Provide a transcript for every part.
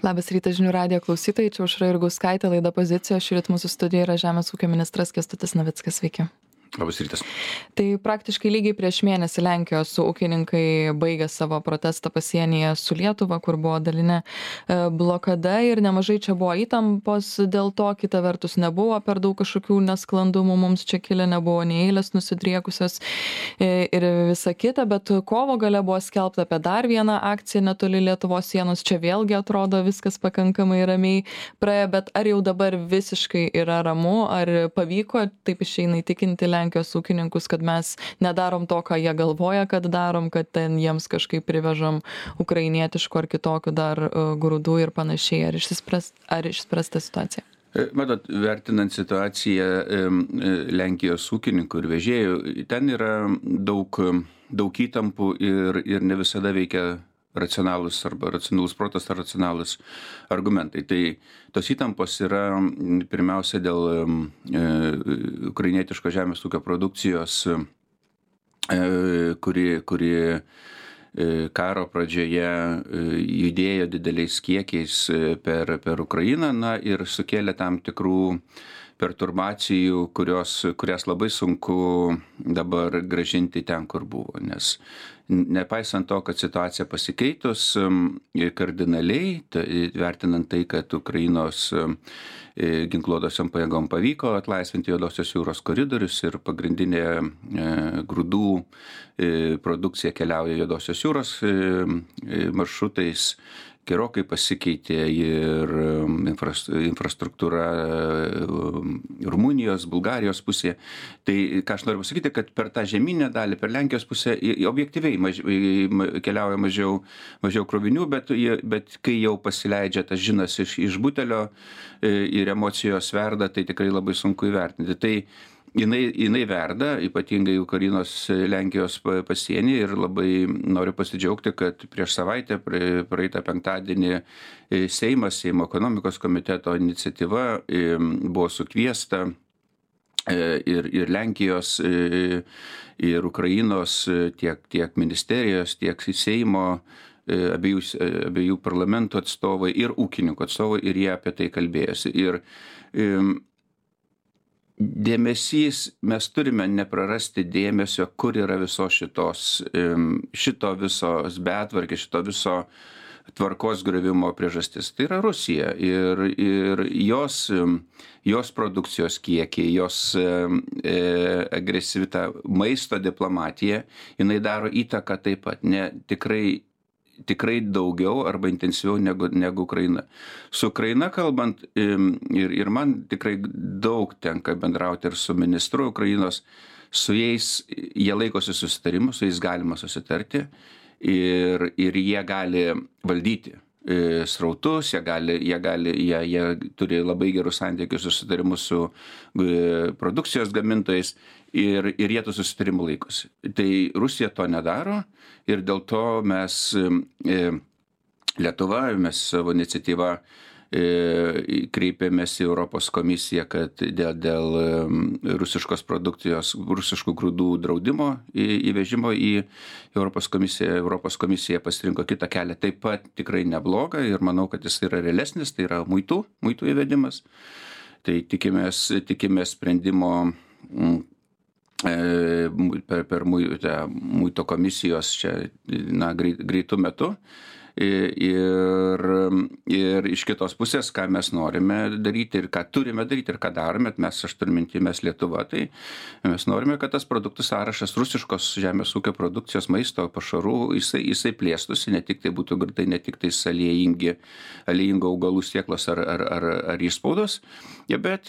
Labas rytas žinių radijo klausytojai, čia Aušra Jurgauskaitė, laida Pozicija, šįryt mūsų studijoje yra Žemės ūkio ministras Kęstutis Navickas, sveiki. Labas rytas. Tai praktiškai lygiai prieš mėnesį Lenkijos ūkininkai baigė savo protestą pasienyje su Lietuva, kur buvo dalinė blokada ir nemažai čia buvo įtampos, dėl to kita vertus nebuvo per daug kažkokių nesklandumų, mums čia kilę nebuvo nei eilės nusidriekusios ir visa kita, bet kovo gale buvo skelbta apie dar vieną akciją netoli Lietuvos sienos, čia vėlgi atrodo viskas pakankamai ramiai praėjo, bet ar jau dabar visiškai yra ramu, ar pavyko taip išeina įtikinti Lenkijos ūkininkus, kad mes nedarom to, ką jie galvoja, kad darom, kad ten jiems kažkaip privežam ukrainietiškų ar kitokių dar grūdų ir panašiai. Ar išspręsta situacija? Matot, vertinant situaciją Lenkijos ūkininkų ir vežėjų, ten yra daug įtampų ir ne visada veikia racionalus arba racionalus protas ar racionalus argumentai. Tai tos įtampos yra pirmiausia dėl ukrainietiško žemės ūkio produkcijos, kuri karo pradžioje judėjo dideliais kiekiais per Ukrainą, ir sukėlė tam tikrų perturbacijų, kurias labai sunku dabar grąžinti ten, kur buvo. Nes nepaisant to, kad situacija pasikeitus kardinaliai, vertinant tai, kad Ukrainos ginkluotosiom pajėgom pavyko atlaisvinti Juodosios jūros koridorius ir pagrindinė grūdų produkcija keliauja Juodosios jūros maršrutais, gerokai pasikeitė ir infrastruktūra Rumunijos, Bulgarijos pusėje. Tai ką aš noriu pasakyti, kad per tą žemynę dalį, per Lenkijos pusę objektyviai keliauja mažiau krovinių, bet kai jau pasileidžia tas žinas iš butelio ir emocijos verda, tai tikrai labai sunku įvertinti. Tai jinai verda, ypatingai Ukrainos Lenkijos pasienį, ir labai noriu pasidžiaugti, kad prieš savaitę, praeitą penktadienį, Seimo ekonomikos komiteto iniciatyva buvo sukviesta ir Lenkijos, ir Ukrainos tiek ministerijos, tiek Seimo, abiejų parlamentų atstovai ir ūkininkų atstovai, ir jie apie tai kalbėjosi. Ir dėmesys, mes turime neprarasti dėmesio, kur yra šito visos betvarkės, šito viso tvarkos griuvimo priežastis. Tai yra Rusija ir jos produkcijos kiekiai, jos agresyvi maisto diplomatija, jinai daro įtaką taip pat, tikrai daugiau arba intensyviau negu Ukraina. Su Ukraina kalbant, ir man tikrai daug tenka bendrauti ir su ministru Ukrainos, su jais jie laikosi susitarimų, su jais galima susitarti ir jie gali valdyti srautus, jie turi labai gerus santykius susitarimus su produkcijos gamintojais ir jie tų susitarimų laikosi. Tai Rusija to nedaro ir dėl to mes Lietuva, mes savo iniciatyvą kreipėmės į Europos komisiją, kad dėl rusiškos produkcijos, rusiškų grūdų draudimo įvežimo į Europos komisiją. Europos komisija pasirinko kitą kelią, taip pat tikrai neblogą, ir manau, kad jis yra realesnis, tai yra muitų įvedimas. Tai tikimės sprendimo per muito komisijos čia greitų metu. Ir iš kitos pusės, ką mes norime daryti ir ką turime daryti ir ką darome, aš turiu minty, mes Lietuva, tai mes norime, kad tas produktų sąrašas rusiškos žemės ūkio produkcijos, maisto, pašarų, jisai plėstųsi, ne tik tai būtų grūdai, ne tik tai aliejingų augalų sėklos ar įspaudos, bet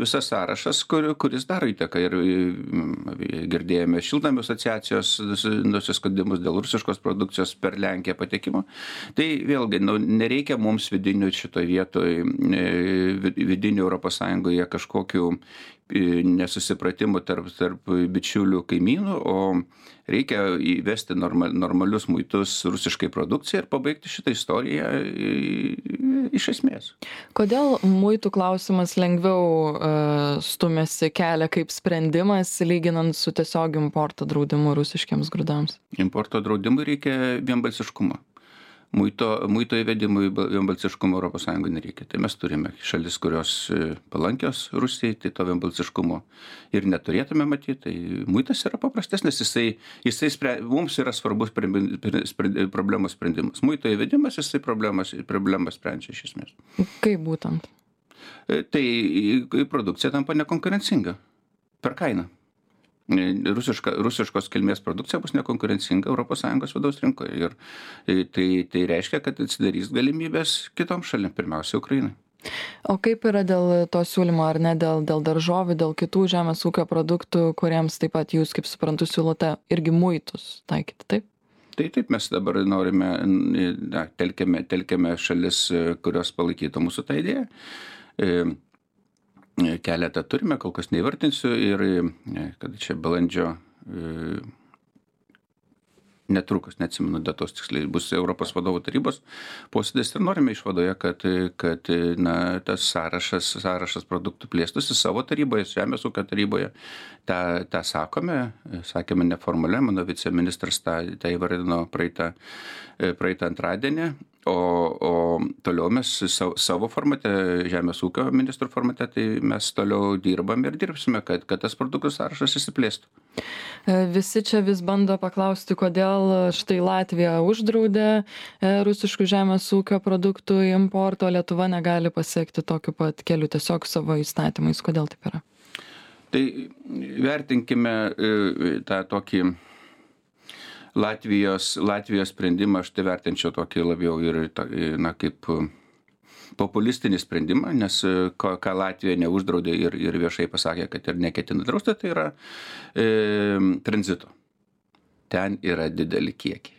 visas sąrašas, kuris daro įtaką. Ir girdėjome šiltnamių asociacijos nusiskundimus dėl rusiškos produkcijos per Lenkiją patekimo. Tai vėlgi, nereikia mums vidinių šitoje vietoje, vidinių Europos Sąjungoje kažkokių nesusipratimų tarp bičiulių kaimynų, o reikia įvesti normalius muitus rusiškai produkcijai ir pabaigti šitą istoriją iš esmės. Kodėl muitų klausimas lengviau stumėsi kelią kaip sprendimas, lyginant su tiesiog importo draudimu rusiškiams grūdams? Importo draudimui reikia vienbalsiškumo. muito įvedimui vienbalsiškumo ES nereikia. Tai mes turime šalis, kurios palankios Rusijai, tai to vienbalsiškumo ir neturėtume matyti. Tai muitas yra paprastesnis, mums yra svarbus problemos sprendimas. Muito įvedimas, jisai problemas sprendžia iš esmės. Kaip būtent? Tai produkcija tampa nekonkurencinga per kainą. Rusiškos kilmės produkcija bus nekonkurencinga ES vidaus rinkoje. Ir tai reiškia, kad atsidarys galimybės kitoms šalim, pirmiausia, Ukrainai. O kaip yra dėl to siūlymo, ar ne, dėl daržovių, dėl kitų žemės ūkio produktų, kuriems taip pat jūs, kaip suprantu, siūlote irgi muitus taikyti, taip? Taip, mes dabar norime, telkiame šalis, kurios palaikytų mūsų tą idėją. Keletą turime, kol kas neįvartinsiu ir kad čia balandžio netrukus, neatsimenu datos tiksliai, bus Europos vadovų tarybos posėdis ir norime išvadoje, kad tas sąrašas produktų plėstųsi savo taryboje, Žemės ūkio taryboje. tą sakėme neformaliai, mano viceministras tą įvardino praeitą antradienį, o toliau mes savo formate, Žemės ūkio ministrų formate, tai mes toliau dirbam ir dirbsime, kad tas produktų sąrašas išsiplėstų. Visi čia vis bando paklausti, kodėl štai Latvija uždraudė rusiškų žemės ūkio produktų importo, Lietuva negali pasiekti tokiu pat keliu, tiesiog savo įstatymais. Kodėl taip yra? Tai vertinkime tą tokį Latvijos sprendimą, aš tai vertinčiau tokį labiau ir kaip populistinį sprendimą, nes ką Latvija neuždraudė ir viešai pasakė, kad ir neketina drausti, tai yra tranzito. Ten yra dideli kiekiai.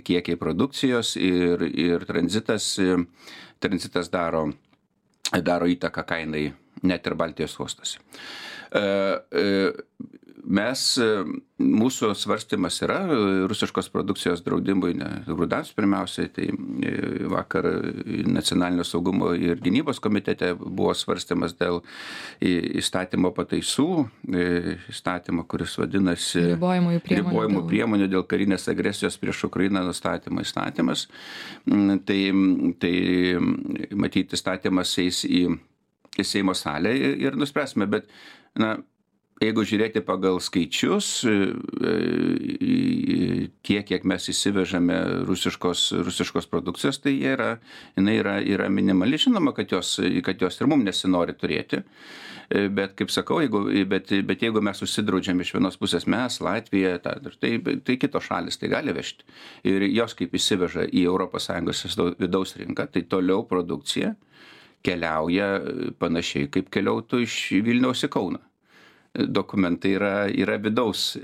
Kiekiai produkcijos ir tranzitas daro įtaką kainai net ir Baltijos uostose. Mūsų svarstymas yra rusiškos produkcijos draudimui, grūdams pirmiausiai, tai vakar Nacionalinio saugumo ir gynybos komitete buvo svarstymas dėl įstatymo pataisų, įstatymo, kuris vadinasi ribojimų priemonių dėl karinės agresijos prieš Ukrainą nustatymo įstatymas. Tai matyti įstatymas eis į Seimo salę ir nuspręsime, bet jeigu žiūrėti pagal skaičius, kiek mes įsivežame rusiškos produkcijos, tai jinai yra minimali. Žinoma, kad jos ir mums nesinori turėti. Bet, kaip sakau, jeigu mes užsidraudžiam iš vienos pusės mes, Latvija, tai kitos šalis tai gali vežti. Ir jos kaip įsiveža į ES vidaus rinką, tai toliau produkcija keliauja panašiai, kaip keliautų iš Vilniaus į Kauną. Dokumentai yra vidaus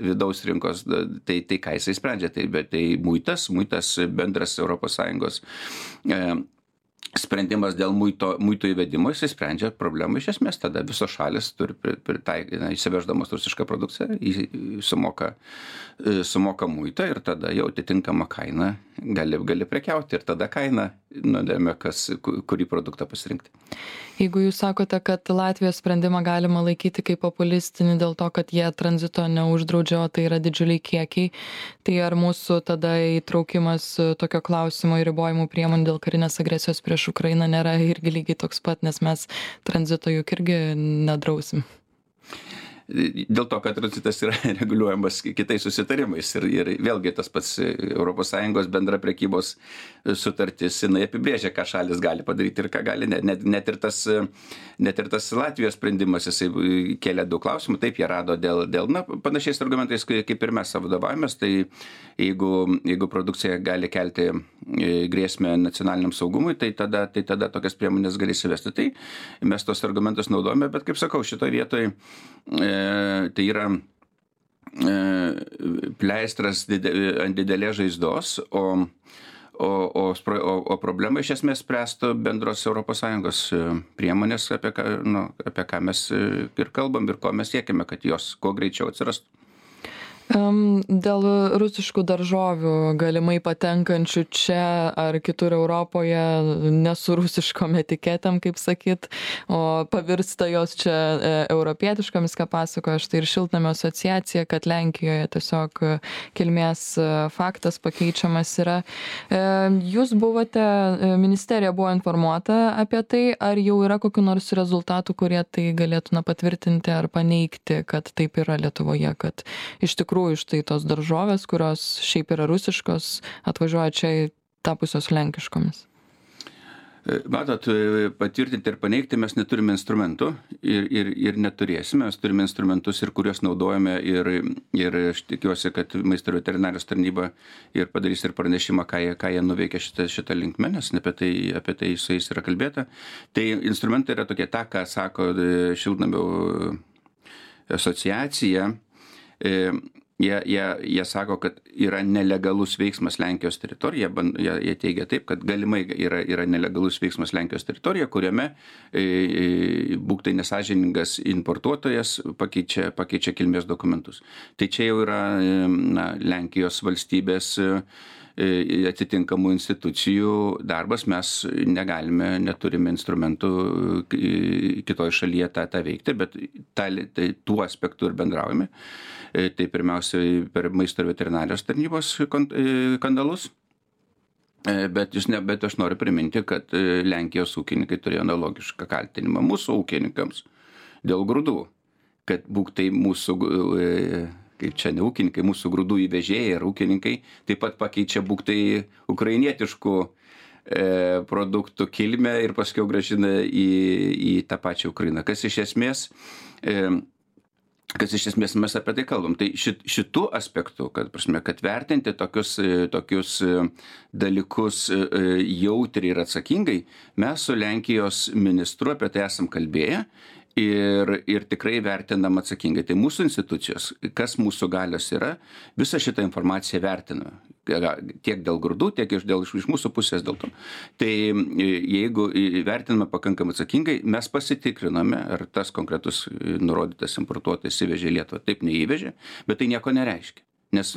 rinkos, tai ką jisai sprendžia, tai muitas bendras ES sprendimas dėl muito įvedimo, jisai sprendžia problemą iš esmės, tada visos šalis turi įsiveždamos rusišką produkciją, sumoka muitą ir tada jau atitinkama kaina gali prekiauti ir tada kaina nulėmė, kurį produktą pasirinkti. Jeigu jūs sakote, kad Latvijos sprendimą galima laikyti kaip populistinį dėl to, kad jie tranzito neuždraudžia, o tai yra didžiuliai kiekiai, tai ar mūsų tada įtraukimas tokio klausimo į ribojimų priemonių dėl karinės agresijos prieš Ukrainą nėra irgi lygiai toks pat, nes mes tranzito juk irgi nedrausim? Dėl to, kad tranzitas yra reguliuojamas kitais susitarimais ir vėlgi tas pats ES bendra prekybos sutartis, jinai apibrėžia, ką šalis gali padaryti ir ką gali ne. Net ir tas Latvijos sprendimas, jisai kėlė daug klausimų, taip jie rado dėl panašiais argumentais, kaip ir mes savo vadovavomės, tai jeigu produkcija gali kelti grėsmę nacionaliniam saugumui, tai tada tokias priemonės gali įsivesti. Tai mes tos argumentus naudojame, bet kaip sakau, šitoje vietoje tai yra pleistras ant didelės žaizdos, o problemą iš esmės spręstų bendros ES priemonės, apie ką mes ir kalbam ir ko mes siekime, kad jos kuo greičiau atsirastų. Dėl rusiškų daržovių galimai patenkančių čia ar kitur Europoje ne su rusiškom etiketėm, kaip sakyt, o pavirsta jos čia europietiškomis, ką pasakojo štai ir Šiltnamio asociacija, kad Lenkijoje tiesiog kilmės faktas pakeičiamas yra. Jūs buvote, ministerija buvo informuota apie tai, ar jau yra kokiu nors rezultatų, kurie tai galėtų patvirtinti ar paneigti, kad taip yra Lietuvoje, kad iš tikrųjų štai tos daržovės, kurios šiaip yra rusiškos, atvažiuoja čia tapusios lenkiškomis? Matot, patvirtinti ir paneigti mes neturime instrumentų ir neturėsime. Mes turime instrumentus, ir kuriuos naudojame, ir aš tikiuosi, kad Maisto ir veterinarijos tarnyba ir padarys ir pranešimą, ką jie nuveikė šitą linkmę, nes apie tai su jais yra kalbėta. Tai instrumentai yra tokie, ką sako Šiltnamio asociacija. Jie sako, kad yra nelegalus veiksmas Lenkijos teritorija, jie teigia taip, kad galimai yra nelegalus veiksmas Lenkijos teritorija, kuriame būk tai nesąžiningas importuotojas pakeičia kilmės dokumentus. Tai čia jau yra Lenkijos valstybės atitinkamų institucijų darbas, mes neturime instrumentų kitoje šalyje tą veikti, bet tuo aspektu ir bendraujame. Tai pirmiausiai per Maisto ir veterinarijos tarnybos kanalus. Bet aš noriu priminti, kad Lenkijos ūkininkai turėjo analogišką kaltinimą mūsų ūkininkams dėl grūdų, kad būk tai mūsų kaip čia ne ūkininkai, mūsų grūdų įvežėjai ir ūkininkai taip pat pakeičia būk tai ukrainietiškų produktų kilmę ir paskui grąžina į tą pačią Ukrainą. Kas iš esmės mes apie tai kalbam. Tai šitų aspektų, kad vertinti tokius dalykus jautriai ir atsakingai, mes su Lenkijos ministru apie tai esam kalbėję. Ir tikrai vertinam atsakingai. Tai mūsų institucijos, kas mūsų galios yra, visą šitą informaciją vertina. Tiek dėl grūdų, tiek iš mūsų pusės dėl to. Tai jeigu vertiname pakankamai atsakingai, mes pasitikriname, ar tas konkretus nurodytas importuotojas įvežė Lietuvą. Taip neįvežė, bet tai nieko nereiškia. Nes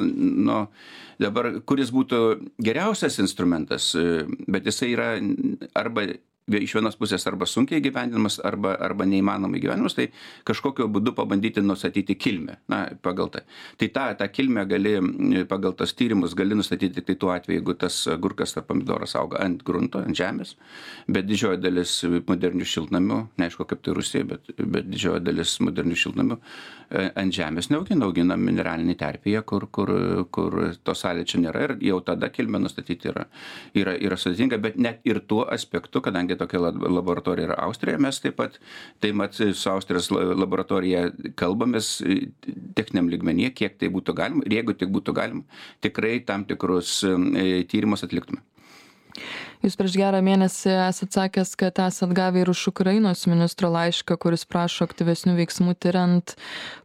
dabar, kuris būtų geriausias instrumentas, bet jisai yra arba iš vienos pusės arba sunkiai įgyvendinamas, arba neįmanomai įgyvendinamas, tai kažkokiu būdu pabandyti nustatyti kilmę. Pagal tai. Tai tą kilmę gali, pagal tas tyrimus, gali nustatyti tik tai tuo atveju, jeigu tas agurkas ar pomidoras auga ant grunto, ant žemės, bet didžioji dalis modernių šiltnamių, neaišku kaip tai Rusija, bet didžioji dalis modernių šiltnamių ant žemės neaugina mineralinį terpėje, kur to sąlyčio nėra, ir jau tada kilmę nustatyti yra sudėtinga, bet net ir tuo aspektu, kadangi tokia laboratorija yra Austrija, mes taip pat su Austrijos laboratorija kalbamės techniniam lygmenyje, kiek tai būtų galima, ir jeigu tik būtų galima, tikrai tam tikrus tyrimus atliktume. Jūs prieš gerą mėnesį esat sakęs, kad esat gavę ir iš Ukrainos ministro laišką, kuris prašo aktyvesnių veiksmų tiriant,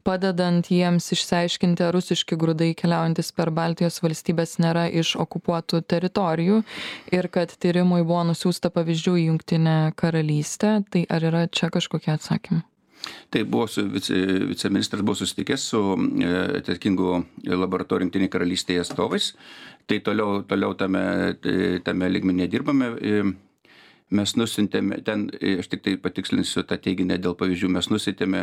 padedant jiems išsiaiškinti, ar rusiški grūdai keliaujantis per Baltijos valstybės nėra iš okupuotų teritorijų, ir kad tyrimui buvo nusiųsta pavyzdžių į Jungtinę karalystę. Tai ar yra čia kažkokie atsakymai? Tai viceministras buvo susitikęs su atsakingu laboratorijų Jungtinėje karalystėje atstovais. Tai toliau tame lygmenyje dirbame. Mes nusintėme, aš tik tai patikslinsiu tą teiginį dėl pavyzdžių, mes nusintėme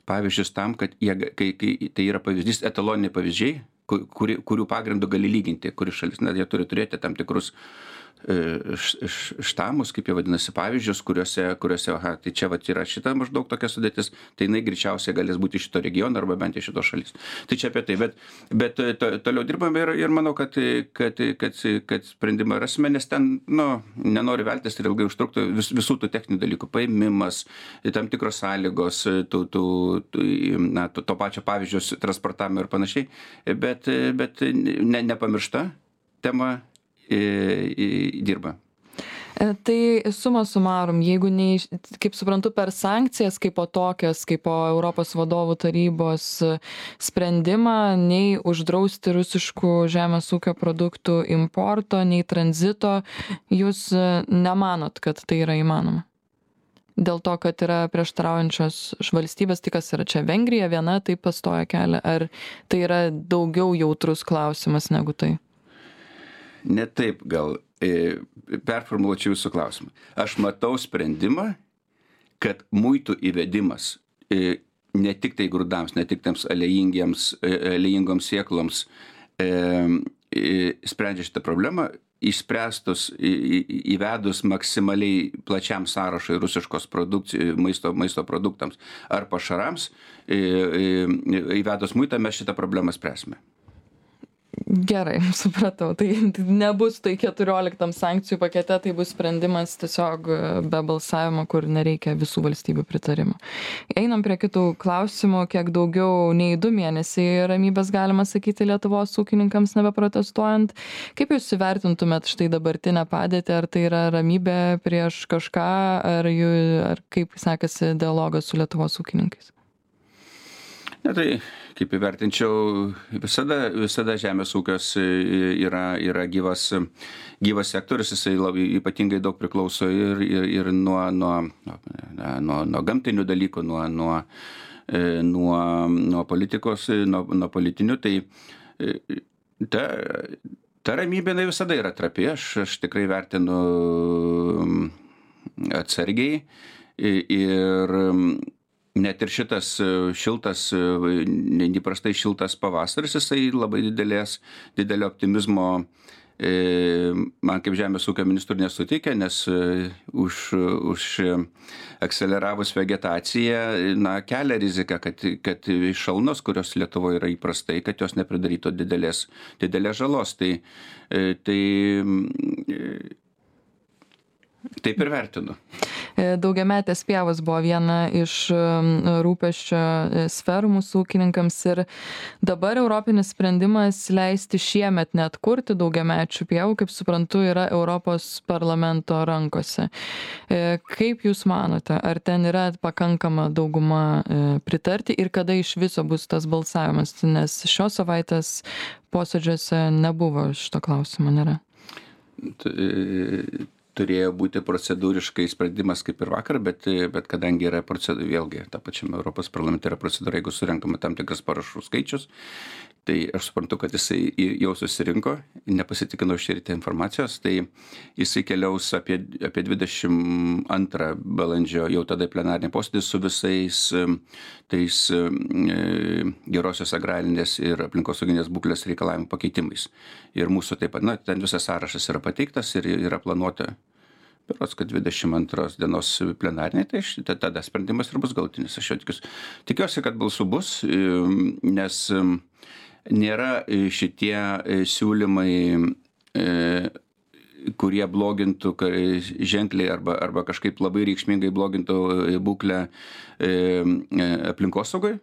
pavyzdžius tam, kad kai tai yra pavyzdys, etaloniniai pavyzdžiai, kurių pagrindų gali lyginti, kuri šalis, jie turi turėti tam tikrus štamus, kaip jie vadinasi, pavyzdžius, kuriuose tai čia yra šita maždaug tokia sudėtis, tai jinai greičiausiai galės būti šito regiono arba bent iš šitos šalis. Tai čia apie tai, bet toliau dirbame ir manau, kad sprendimą rasime, nes ten, nenori veltis ir ilgai užtruktų visų tų techninių dalykų, paėmimas, tam tikros sąlygos, to pačio pavyzdžius transportavimo ir panašiai, bet nepamiršta tema dirba. Tai suma sumarum, jeigu kaip suprantu, per sankcijas kaip po tokias, kaip po Europos vadovų tarybos sprendimą, nei uždrausti rusiškų žemės ūkio produktų importo, nei tranzito, jūs nemanot, kad tai yra įmanoma? Dėl to, kad yra prieštaraujančios valstybės, tai kas yra čia Vengrija viena taip pastoja kelią, ar tai yra daugiau jautrus klausimas negu tai? Ne taip gal performuluočiau jūsų klausimą. Aš matau sprendimą, kad muitų įvedimas ne tik tai grūdams, ne tik tams aliejingoms sėkloms sprendžia šitą problemą, išspręstus įvedus maksimaliai plačiam sąrašui rusiškos maisto produktams ar pašarams, įvedus muitą mes šitą problemą spręsime. Gerai, supratau. Tai nebus tai 14 sankcijų pakete, tai bus sprendimas tiesiog be balsavimo, kur nereikia visų valstybių pritarimo. Einam prie kitų klausimų. Kiek daugiau nei 2 mėnesiai ramybės galima sakyti Lietuvos ūkininkams nebeprotestuojant. Kaip jūs įvertintumėt štai dabartinę padėtį? Ar tai yra ramybė prieš kažką, ar kaip sekasi dialogas su Lietuvos ūkininkais? Ne, tai kaip įvertinčiau, visada žemės ūkis yra gyvas sektorius, jisai labai ypatingai daug priklauso ir nuo gamtinių dalykų, nuo politikos, nuo politinių. Tai ta ramybė visada yra trapi, aš tikrai vertinu atsargiai ir net ir šitas šiltas, neįprastai šiltas pavasaris, jisai labai didelio optimizmo man kaip žemės ūkio ministrų nesuteikė, nes už akseleravus vegetaciją kelia rizika, kad šalnos, kurios Lietuvoje yra įprastai, kad jos nepridarytų didelės žalos. Taip ir vertinu. Daugiametės pievos buvo viena iš rūpesčio sferų mūsų ūkininkams ir dabar europinis sprendimas leisti šiemet net kurti daugiamečių pievų, kaip suprantu, yra Europos parlamento rankose. Kaip jūs manote, ar ten yra pakankama dauguma pritarti ir kada iš viso bus tas balsavimas, nes šios savaitės posėdžiuose nebuvo šito klausimo, nėra? Turėjo būti procedūriškai sprendimas kaip ir vakar, bet kadangi yra procedūra, vėlgi, ta pačiame Europos parlamente yra procedūra, jeigu surenkama tam tikras parašų skaičius, tai aš suprantu, kad jisai jau susirinko, nepasitikino šįrytę informacijos, tai jisai keliaus apie 22 balandžio jau tada plenarinį posėdį su visais tais gerosios agrarinės ir aplinkosauginės būklės reikalavimų pakeitimais. Ir mūsų taip pat, ten visas sąrašas yra pateiktas ir yra planuota, berods, kad 22 dienos plenarinė, tai tada sprendimas ir bus galutinis. Aš jau tikiuosi, kad balsų bus, nes nėra šitie siūlymai, kurie blogintų ženkliai arba kažkaip labai reikšmingai blogintų būklę aplinkosaugai.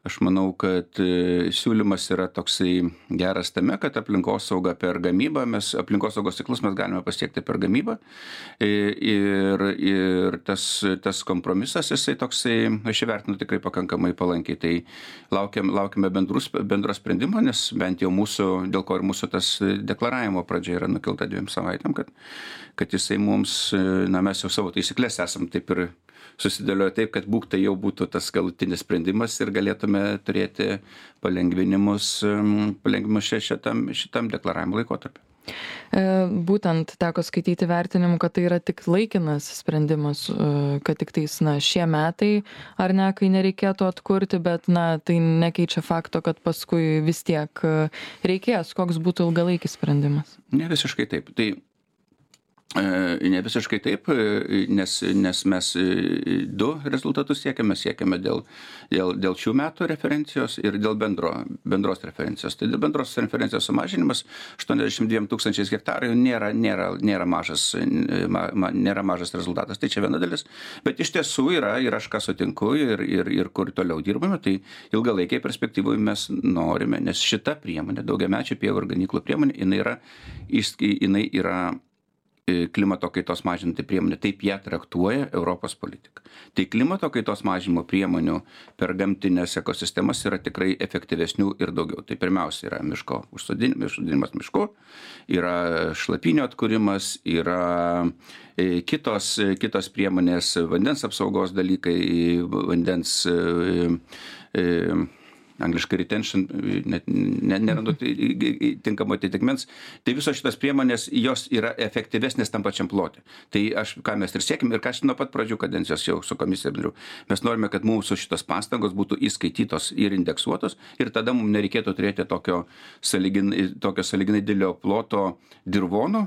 Aš manau, kad siūlymas yra toksai geras tame, kad aplinkosaugą per gamybą, aplinkosaugos ciklus mes galime pasiekti per gamybą ir tas kompromisas, jisai toksai, aš įvertinu tikrai pakankamai palankiai, tai laukiame bendro sprendimo, nes bent jau dėl ko ir mūsų tas deklaravimo pradžia yra nukilta 2 savaitėm, kad jisai mums, mes jau savo taisyklės esam taip ir susidėlioja taip, kad tai jau būtų tas galutinis sprendimas ir galėtume turėti palengvinimus šitam deklaravimo laikotarpiu. Būtent teko skaityti vertinimų, kad tai yra tik laikinas sprendimas, kad tik tais šie metai ar ne, kai nereikėtų atkurti, bet tai nekeičia fakto, kad paskui vis tiek reikės, koks būtų ilgalaikis sprendimas. Ne visiškai taip. Ne visiškai taip, nes mes 2 rezultatus siekiame dėl šių metų referencijos ir dėl bendros referencijos. Tai dėl bendros referencijos sumažinimas 82 000 hektarų nėra mažas rezultatas. Tai čia viena dalis, bet iš tiesų yra ir aš ką sutinku ir kur toliau dirbame, tai ilgalaikiai perspektyvoje mes norime, nes šita priemonė, daugiamečių pievų ir ganyklų priemonė, jinai yra klimato kaitos mažinti priemonė, taip ją traktuoja Europos politika. Tai klimato kaitos mažinimo priemonių per gamtinės ekosistemas yra tikrai efektyvesnių ir daugiau. Tai pirmiausia yra miško užsodinimas mišku, yra šlapynio atkūrimas, yra kitos priemonės, vandens apsaugos dalykai, vandens angliškai retention, net nerandu tinkamo atitikmens. Tai visos šitos priemonės, jos yra efektyvesnės tam pačiam plote. Tai ką mes ir siekim ir ką aš nuo pat pradžių kadencijos jau su komisija dariau. Mes norime, kad mūsų šitos pastangos būtų įskaitytos ir indeksuotos ir tada mums nereikėtų turėti tokio sąlyginai didelio ploto dirvono,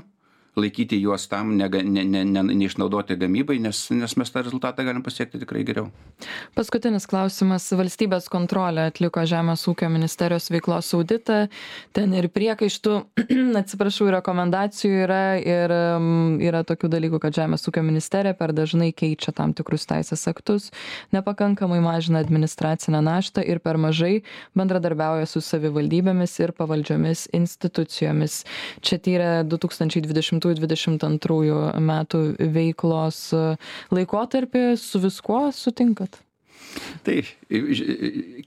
laikyti juos tam, neišnaudoti gamybai, nes mes tą rezultatą galim pasiekti tikrai geriau. Paskutinis klausimas. Valstybės kontrolė atliko Žemės ūkio ministerijos veiklos auditą. Ten ir priekaištų, atsiprašau, rekomendacijų yra ir yra tokių dalykų, kad Žemės ūkio ministerija per dažnai keičia tam tikrus teisės aktus, nepakankamai mažina administracinę naštą ir per mažai bendradarbiauja su savivaldybėmis ir pavaldžiomis institucijomis. Čia tyrė 2020-2022 metų veiklos laikotarpį. Su viskuo sutinkat? Tai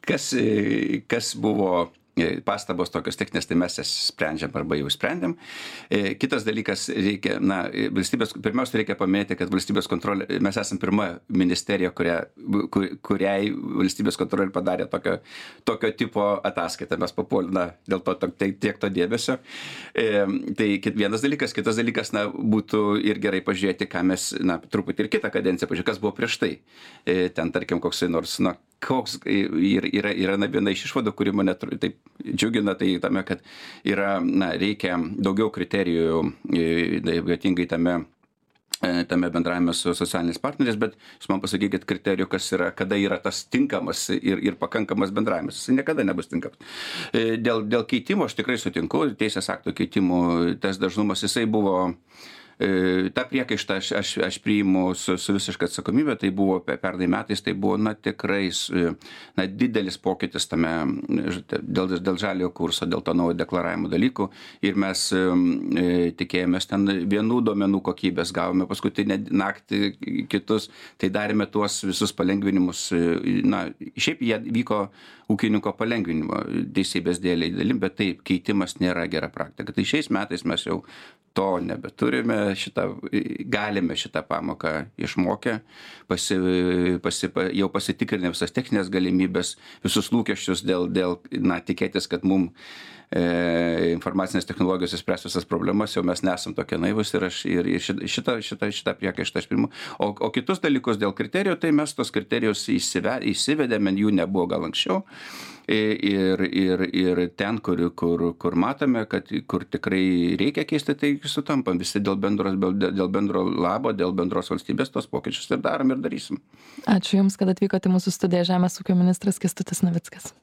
kas buvo pastabos tokios techninės, tai mes jas sprendžiam arba jau sprendėm. Kitas dalykas, pirmiausia reikia paminėti, kad valstybės kontrolė, mes esam pirma ministerija, kuriai valstybės kontrolė padarė tokio tipo ataskaitą. Mes papuolėme dėl to tiek to dėmesio. Tai vienas dalykas, kitas dalykas, būtų ir gerai pažiūrėti, ką mes, truputį ir kitą kadenciją pažiūrėti, kas buvo prieš tai. Ten, tarkim, koksai nors, koks yra viena iš išvadų, kuri mane taip džiugina, tai tame, kad reikia daugiau kriterijų, ypatingai tame bendravime su socialiniais partneriais, bet jūs man pasakykit kriterijų, kada yra tas tinkamas ir pakankamas bendravimas. Jis niekada nebus tinkamas. Dėl keitimo aš tikrai sutinku, teisės aktų keitimų, tas dažnumas jisai buvo. Ta priekaištą aš priimu su visiška atsakomybė, tai buvo pernai metais, tai buvo tikrai didelis pokytis tame dėl žaliojo kurso, dėl to naujo deklaravimo dalykų ir mes tikėjomės ten vienų duomenų kokybės, gavome paskutinę naktį kitus, tai darėme tuos visus palengvinimus, šiaip jie vyko ūkininko palengvinimo teisybės dėliai dalim, bet taip, keitimas nėra gera praktika. Tai šiais metais mes jau to nebeturime, galime šitą pamoką išmokę, jau pasitikrinę visas techninės galimybės, visus lūkesčius dėl tikėtis, kad mums informacinės technologijos išspręs visas problemas, jau mes nesam tokie naivus ir šitą priekaištą aš priimu. O kitus dalykus dėl kriterijų, tai mes tos kriterijus įsivedėme, jų nebuvo gal anksčiau. Ir ten, kur matome, kur tikrai reikia keisti, tai sutampam visi dėl bendro labo, dėl bendros valstybės tos pokyčius ir darom ir darysim. Ačiū Jums, kad atvykote į mūsų studiją. Žemės ūkio ministras Kęstutis Navickas.